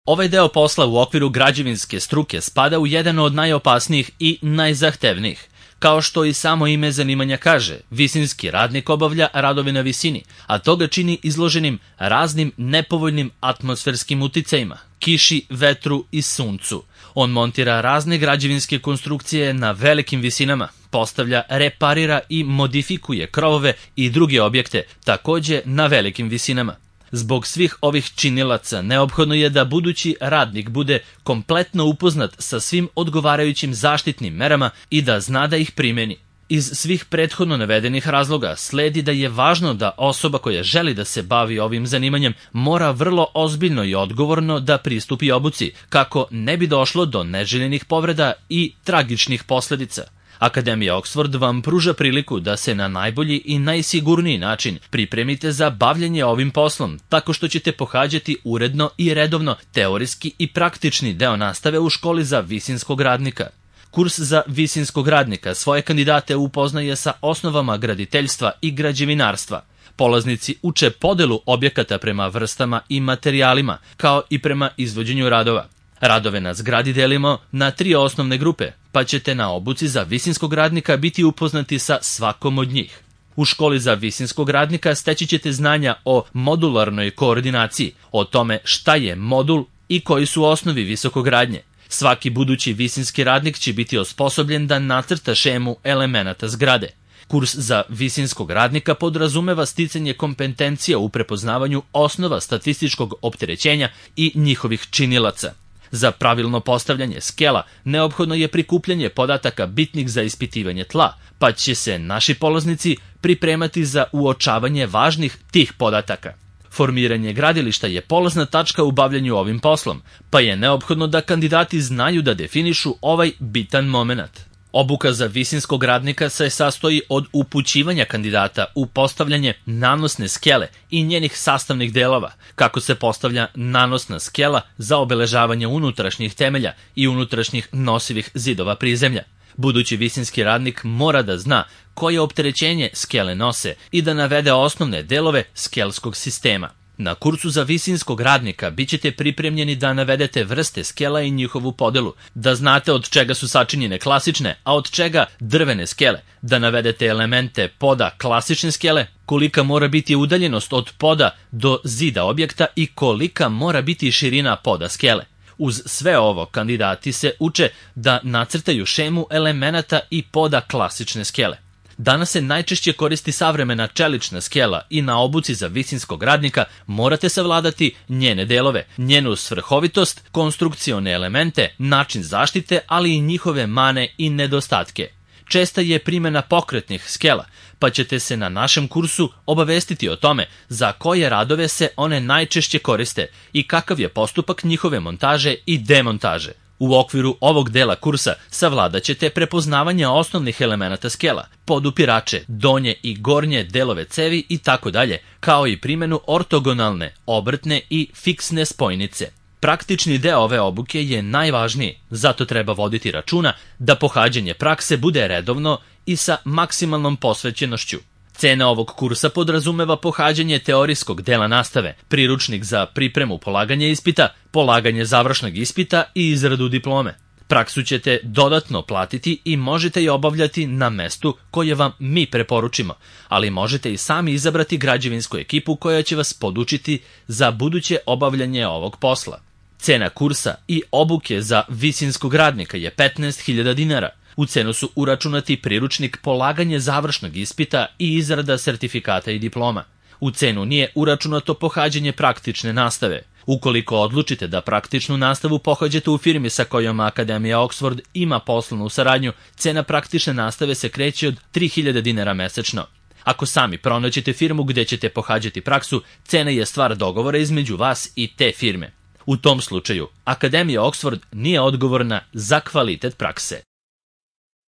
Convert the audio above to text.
Ovaj deo posla u okviru građevinske struke spada u jedan od najopasnijih i najzahtevnijih. Kao što i samo ime zanimanja kaže, visinski radnik obavlja radove na visini, a to ga čini izloženim raznim nepovoljnim atmosferskim uticajima, kiši, vetru i suncu. On montira razne građevinske konstrukcije na velikim visinama, postavlja, reparira i modifikuje krovove i druge objekte, takođe na velikim visinama. Zbog svih ovih činilaca neophodno je da budući radnik bude kompletno upoznat sa svim odgovarajućim zaštitnim merama i da zna da ih primeni. Iz svih prethodno navedenih razloga sledi da je važno da osoba koja želi da se bavi ovim zanimanjem mora vrlo ozbiljno i odgovorno da pristupi obuci, kako ne bi došlo do neželjenih povreda i tragičnih posledica. Akademija Oxford vam pruža priliku da se na najbolji i najsigurniji način pripremite za bavljanje ovim poslom, tako što ćete pohađati uredno i redovno teorijski i praktični deo nastave u školi za visinskog radnika. Kurs za visinskog radnika svoje kandidate upoznaje sa osnovama graditeljstva i građevinarstva. Polaznici uče podelu objekata prema vrstama i materijalima, kao i prema izvođenju radova. Radove na zgradi delimo na 3 osnovne grupe, pa ćete na obuci za visinskog radnika biti upoznati sa svakom od njih. U školi za visinskog radnika steći ćete znanja o modularnoj koordinaciji, o tome šta je modul i koji su osnovi visokogradnje. Svaki budući visinski radnik će biti osposobljen da nacrta šemu elemenata zgrade. Kurs za visinskog radnika podrazumeva sticanje kompetencija u prepoznavanju osnova statističkog opterećenja i njihovih činilaca. Za pravilno postavljanje skela neophodno je prikupljanje podataka bitnih za ispitivanje tla, pa će se naši polaznici pripremati za uočavanje važnih tih podataka. Formiranje gradilišta je polazna tačka u bavljanju ovim poslom, pa je neophodno da kandidati znaju da definišu ovaj bitan moment. Obuka za visinskog radnika se sastoji od upućivanja kandidata u postavljanje nanosne skele i njenih sastavnih delova, kako se postavlja nanosna skela za obeležavanje unutrašnjih temelja i unutrašnjih nosivih zidova prizemlja. Budući visinski radnik mora da zna koje opterećenje skele nose i da navede osnovne delove skelskog sistema. Na kursu za visinskog radnika bit ćete pripremljeni da navedete vrste skela i njihovu podelu, da znate od čega su sačinjene klasične, a od čega drvene skele, da navedete elemente poda klasične skele, kolika mora biti udaljenost od poda do zida objekta i kolika mora biti širina poda skele. Uz sve ovo, kandidati se uče da nacrtaju šemu elemenata i poda klasične skele. Danas se najčešće koristi savremena čelična skela i na obuci za visinskog radnika morate savladati njene delove, njenu svrhovitost, konstrukcione elemente, način zaštite, ali i njihove mane i nedostatke. Česta je primjena pokretnih skela, pa ćete se na našem kursu obavestiti o tome za koje radove se one najčešće koriste i kakav je postupak njihove montaže i demontaže. U okviru ovog dela kursa savladat ćete prepoznavanje osnovnih elemenata skela, podupirače, donje i gornje delove cevi i tako dalje, kao i primjenu ortogonalne, obrtne i fiksne spojnice. Praktični deo ove obuke je najvažniji, zato treba voditi računa da pohađanje prakse bude redovno i sa maksimalnom posvećenošću. Cena ovog kursa podrazumeva pohađanje teorijskog dela nastave, priručnik za pripremu polaganja ispita, polaganje završnog ispita i izradu diplome. Praksu ćete dodatno platiti i možete je obavljati na mestu koje vam mi preporučimo, ali možete i sami izabrati građevinsku ekipu koja će vas podučiti za buduće obavljanje ovog posla. Cena kursa i obuke za visinskog radnika je 15.000 dinara. U cenu su uračunati priručnik, polaganje završnog ispita i izrada sertifikata i diploma. U cenu nije uračunato pohađanje praktične nastave. Ukoliko odlučite da praktičnu nastavu pohađate u firmi sa kojom Akademija Oxford ima poslovnu saradnju, cena praktične nastave se kreće od 3.000 dinara mesečno. Ako sami pronađete firmu gde ćete pohađati praksu, cena je stvar dogovora između vas i te firme. U tom slučaju, Akademija Oxford nije odgovorna za kvalitet prakse.